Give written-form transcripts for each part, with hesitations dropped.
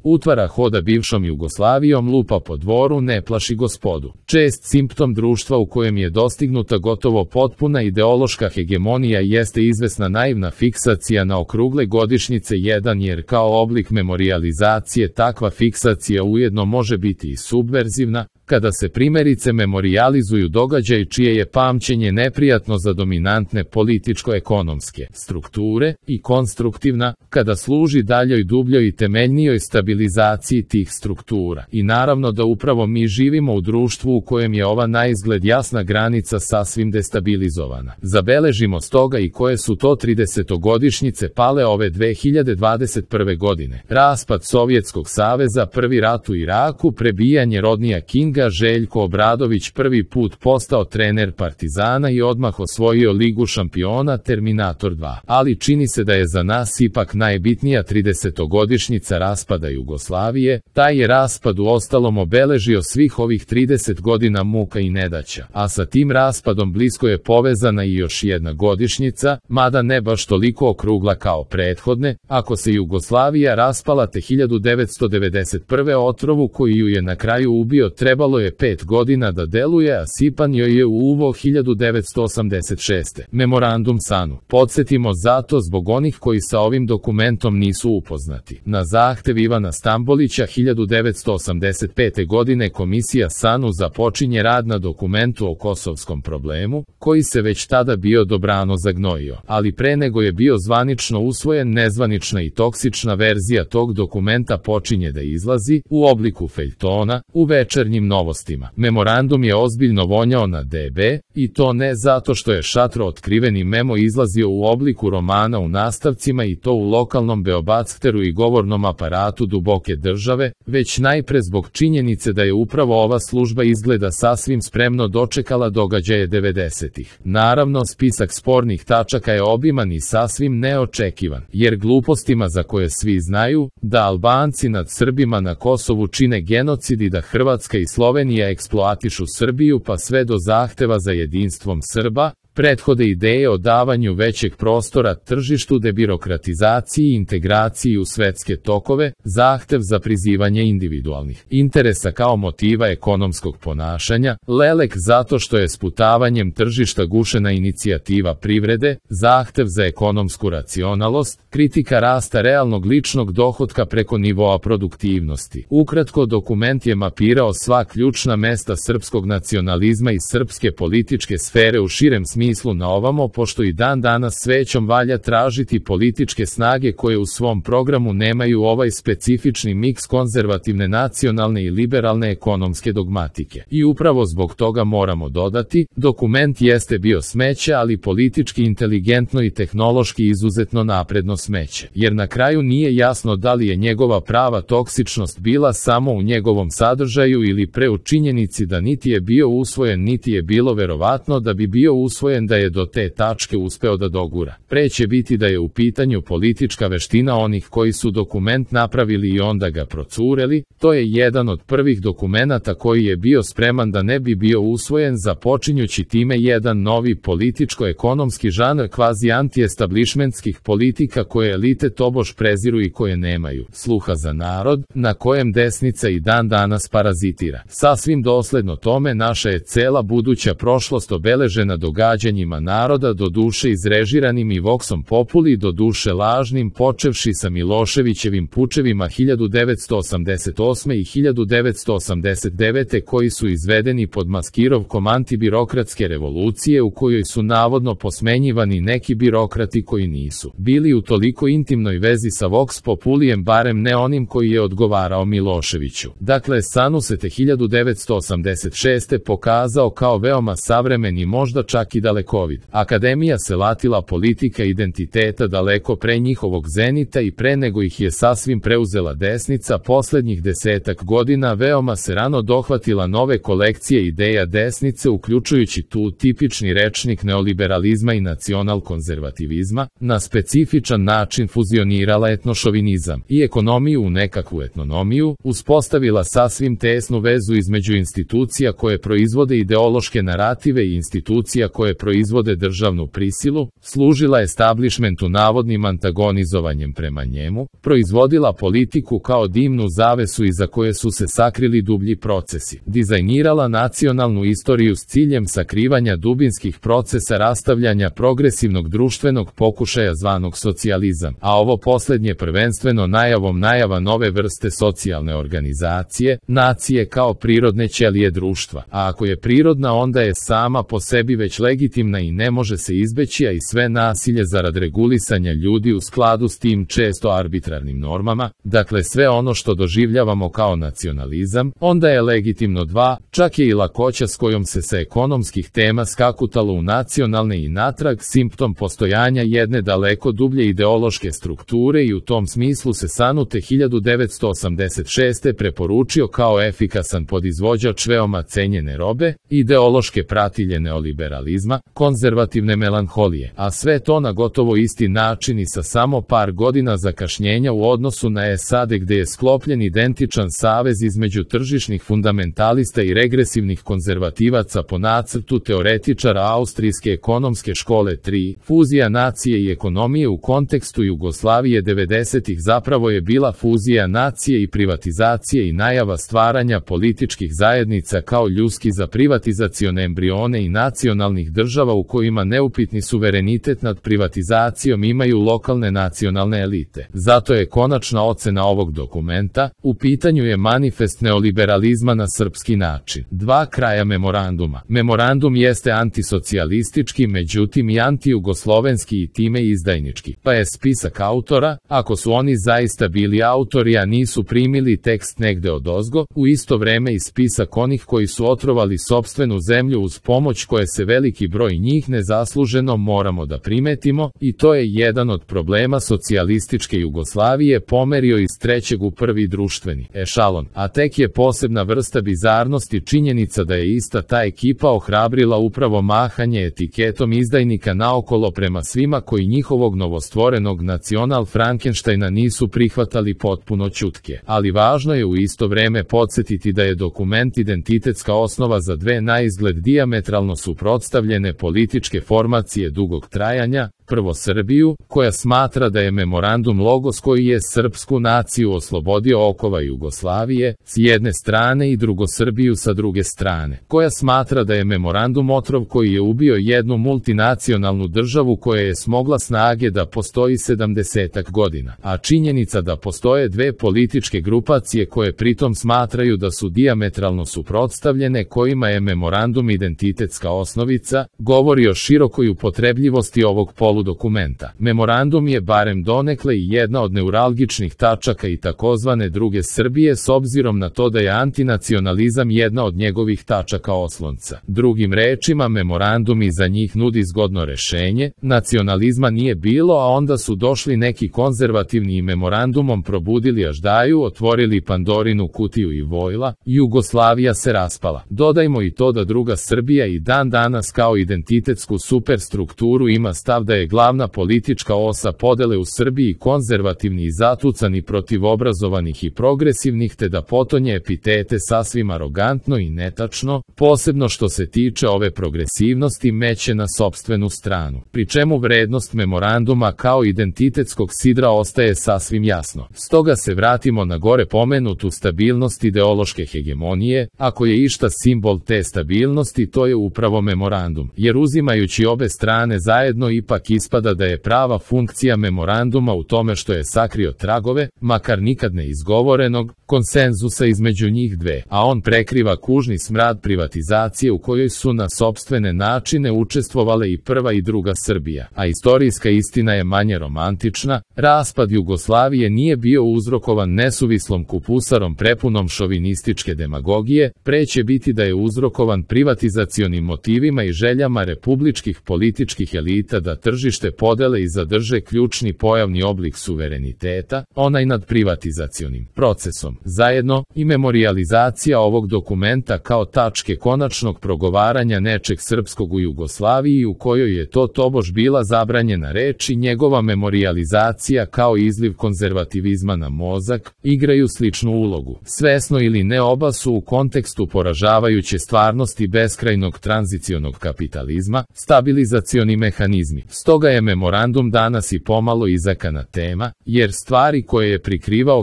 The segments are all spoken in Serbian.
utvara hoda bivšom Jugoslavijom, lupa po dvoru, ne plaši gospodu. Čest simptom društva u kojem je dostignuta gotovo potpuna ideološka hegemonija jeste izvesna naivna fiksacija na okrugle godišnjice 1, jer kao oblik memorijalizacije takva fiksacija ujedno može biti i subverzivna, kada se primjerice memorijalizuju događaji čije je pamćenje neprijatno za dominantne političko-ekonomske strukture, i konstruktivna, kada služi daljoj, dubljoj i temeljnijoj stabilizaciji tih struktura. I naravno da upravo mi živimo u društvu u kojem je ova naizgled jasna granica sasvim destabilizovana. Zabeležimo stoga i koje su to 30-godišnjice pale ove 2021. godine. Raspad Sovjetskog saveza, prvi rat u Iraku, prebijanje Rodnija Kinga, Željko Obradović prvi put postao trener Partizana i odmah osvojio Ligu šampiona, Terminator 2. Ali čini se da je za nas ipak najbitnija 30-godišnjica raspada Jugoslavije. Taj je raspad uostalom obeležio svih ovih 30 godina muka i nedaća, a sa tim raspadom blisko je povezana i još jedna godišnjica, mada ne baš toliko okrugla kao prethodne. Ako se Jugoslavija raspala te 1991. otrovu koji ju je na kraju ubio trebalo je 5 godina da deluje, a sipan joj je u uvo 1986. Memorandum SANU. Podsjetimo zato zbog onih koji sa ovim dokumentom nisu upoznati. Na zahtev Ivana Stambolića 1985. godine komisija SANU započinje rad na dokumentu o kosovskom problemu, koji se već tada bio dobrano zagnojio, ali pre nego je bio zvanično usvojen, nezvanična i toksična verzija tog dokumenta počinje da izlazi u obliku feljtona u Večernjim novostima. Memorandum je ozbiljno vonjao na DB, i to ne zato što je šatro otkriveni memo izlazio u obliku romana u nastavcima i to u lokalnom beobachteru i govornom aparatu duboke države, već najpre zbog činjenice da je upravo ova služba izgleda sasvim spremno dočekala događaje 90-ih. Naravno, spisak spornih tačaka je obiman i sasvim neočekivan, jer glupostima za koje svi znaju, da Albanci nad Srbima na Kosovu čine genocid i da Hrvatska i Slovenija eksploatišu Srbiju pa sve do zahteva za jedinstvom Srba, prethode ideje o davanju većeg prostora tržištu, debirokratizaciji i integraciji u svetske tokove, zahtev za prizivanje individualnih interesa kao motiva ekonomskog ponašanja, lelek zato što je sputavanjem tržišta gušena inicijativa privrede, zahtev za ekonomsku racionalnost, kritika rasta realnog ličnog dohotka preko nivoa produktivnosti. Ukratko, dokument je mapirao sva ključna mesta srpskog nacionalizma i srpske političke sfere u širem smislu na ovamo, pošto i dan danas svećom valja tražiti političke snage koje u svom programu nemaju ovaj specifični miks konzervativne nacionalne i liberalne ekonomske dogmatike. I upravo zbog toga moramo dodati, dokument jeste bio smeće, ali politički inteligentno i tehnološki izuzetno napredno smeće, jer na kraju nije jasno da li je njegova prava toksičnost bila samo u njegovom sadržaju ili pre u činjenici da niti je bio usvojen niti je bilo verovatno da bi bio usvojen da je do te tačke uspeo da dogura. Pre će biti da je u pitanju politička veština onih koji su dokument napravili i onda ga procureli. To je jedan od prvih dokumenata koji je bio spreman da ne bi bio usvojen, započinjući time jedan novi političko-ekonomski žanr kvazi anti-establishmentskih politika koje elite tobož preziru i koje nemaju sluha za narod, na kojem desnica i dan danas parazitira. Sasvim dosledno tome naša je cela buduća prošlost obeležena događanjima naroda, do duše izrežiranim i voxom populi, do duše lažnim, počevši sa Miloševićevim pučevima 1988. i 1989. koji su izvedeni pod maskirovkom antibirokratske revolucije u kojoj su navodno posmenjivani neki birokrati koji nisu bili u toliko intimnoj vezi sa vox populijem, barem ne onim koji je odgovarao Miloševiću. Dakle, SANU se te 1986. pokazao kao veoma savremen i možda čak i dalekovid. Akademija se latila politika identiteta daleko pre njihovog zenita i pre nego ih je sasvim preuzela desnica. Poslednjih 10 godina veoma se rano dohvatila nove kolekcije ideja desnice, uključujući tu tipični rečnik neoliberalizma i nacional-konzervativizma, na specifičan način fuzionirala etnošovinizam i ekonomiju u nekakvu etnonomiju, uspostavila sasvim tesnu vezu između institucija koje proizvode ideološke narative i institucija koje proizvode državnu prisilu, služila establishmentu navodnim antagonizovanjem prema njemu, proizvodila politiku kao dimnu zavesu iza koje su se sakrili dublji procesi, dizajnirala nacionalnu istoriju s ciljem sakrivanja dubinskih procesa rastavljanja progresivnog društvenog pokušaja zvanog socijalizam, a ovo posljednje prvenstveno najava nove vrste socijalne organizacije, nacije kao prirodne ćelije društva, a ako je prirodna onda je sama po sebi već legitimna i ne može se izbeći, a i sve nasilje zarad regulisanja ljudi u skladu s tim često arbitrarnim normama, dakle sve ono što doživljavamo kao nacionalizam, onda je legitimno. 2. Čak je i lakoća s kojom se sa ekonomskih tema skakutalo u nacionalne i natrag simptom postojanja jedne daleko dublje ideološke strukture i u tom smislu se Sanute 1986. preporučio kao efikasan podizvođač veoma cenjene robe, ideološke pratilje neoliberalizma, konzervativne melanholije, a sve to na gotovo isti način i sa samo par godina zakašnjenja u odnosu na SAD gde je sklopljen identičan savez između tržišnih fundamentalista i regresivnih konzervativaca po nacrtu teoretičara austrijske ekonomske škole 3. Fuzija nacije i ekonomije u kontekstu Jugoslavije 90-ih zapravo je bila fuzija nacije i privatizacije i najava stvaranja političkih zajednica kao ljuski za privatizacione embrione i nacionalnih država u kojima neupitni suverenitet nad privatizacijom imaju lokalne nacionalne elite. Zato je konačna ocena ovog dokumenta, u pitanju je manifest neoliberalizma na srpski način. 2. Kraja memoranduma. Memorandum jeste antisocijalistički, međutim i antijugoslovenski i time izdajnički, pa je spisak autora, ako su oni zaista bili autori a nisu primili tekst negde odozgo, u isto vreme i spisak onih koji su otrovali sopstvenu zemlju uz pomoć koje se veliki broj njih nezasluženo moramo da primetimo, i to je jedan od problema socijalističke Jugoslavije pomerio iz trećeg u prvi društveni ešalon, a tek je posebna vrsta bizarnosti činjenica da je ista ta ekipa ohrabrila upravo mahanje etiketom izdajnika naokolo prema svima koji njihovog novostvorenog nacional Frankensteina nisu prihvatali potpuno ćutke. Ali važno je u isto vreme podsjetiti da je dokument identitetska osnova za dve naizgled dijametralno suprotstavljene političke formacije dugog trajanja, prvo Srbiju, koja smatra da je memorandum logos koji je srpsku naciju oslobodio okova Jugoslavije, s jedne strane, i drugo Srbiju sa druge strane, koja smatra da je memorandum otrov koji je ubio jednu multinacionalnu državu koja je smogla snage da postoji 70 godina, a činjenica da postoje dve političke grupacije koje pritom smatraju da su dijametralno suprotstavljene kojima je memorandum identitetska osnovica, govori o širokoj upotrebljivosti ovog dokumenta. Memorandum je barem donekle i jedna od neuralgičnih tačaka i takozvane druge Srbije s obzirom na to da je antinacionalizam jedna od njegovih tačaka oslonca. Drugim rečima, memorandum i za njih nudi zgodno rešenje, nacionalizma nije bilo, a onda su došli neki konzervativni i memorandumom probudili aždaju, otvorili Pandorinu kutiju i vojla, Jugoslavija se raspala. Dodajmo i to da druga Srbija i dan danas kao identitetsku superstrukturu ima stav da je glavna politička osa podele u Srbiji konzervativni i zatucani protiv obrazovanih i progresivnih, te da potonje epitete sasvim arogantno i netačno, posebno što se tiče ove progresivnosti meće na sopstvenu stranu, pri čemu vrednost memoranduma kao identitetskog sidra ostaje sasvim jasno. Stoga se vratimo na gore pomenutu stabilnost ideološke hegemonije, ako je išta simbol te stabilnosti to je upravo memorandum, jer uzimajući obe strane zajedno ipak ispada da je prava funkcija memoranduma u tome što je sakrio tragove, makar nikad ne izgovorenog, konsenzusa između njih dve, a on prekriva kužni smrad privatizacije u kojoj su na sopstvene načine učestvovale i prva i druga Srbija, a istorijska istina je manje romantična, raspad Jugoslavije nije bio uzrokovan nesuvislom kupusarom prepunom šovinističke demagogije, pre će biti da je uzrokovan privatizacionim motivima i željama republičkih političkih elita da tržište tržište podele i zadrže ključni pojavni oblik suvereniteta, onaj nad privatizacionim procesom. Zajedno, i memorijalizacija ovog dokumenta kao tačke konačnog progovaranja nečeg srpskog u Jugoslaviji u kojoj je to tobož bila zabranjena reč i njegova memorijalizacija kao izliv konzervativizma na mozak, igraju sličnu ulogu. Svesno ili ne, oba su u kontekstu poražavajuće stvarnosti beskrajnog tranzicionog kapitalizma, stabilizacioni mehanizmi. Stoga je memorandum danas i pomalo izakana tema, jer stvari koje je prikrivao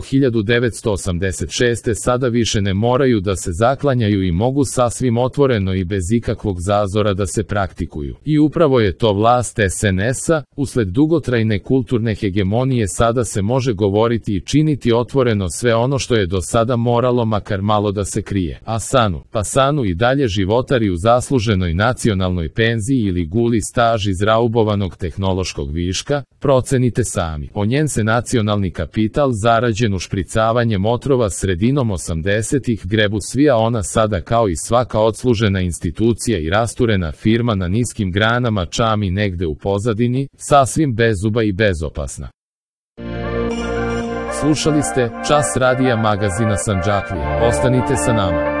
1986. sada više ne moraju da se zaklanjaju i mogu sasvim otvoreno i bez ikakvog zazora da se praktikuju. I upravo je to vlast SNS-a, usled dugotrajne kulturne hegemonije sada se može govoriti i činiti otvoreno sve ono što je do sada moralo makar malo da se krije. A Sanu i dalje životari u zasluženoj nacionalnoj penziji ili guli staž iz raubovanog tehnološkog viška, procenite sami. O njen se nacionalni kapital zarađen ušpricavanjem otrova sredinom 80-ih grebu svi, a ona sada kao i svaka odslužena institucija i rasturena firma na niskim granama čami negde u pozadini, sasvim bezuba i bezopasna. Slušali ste Čas radija magazina Sandžaklija. Ostanite sa nama.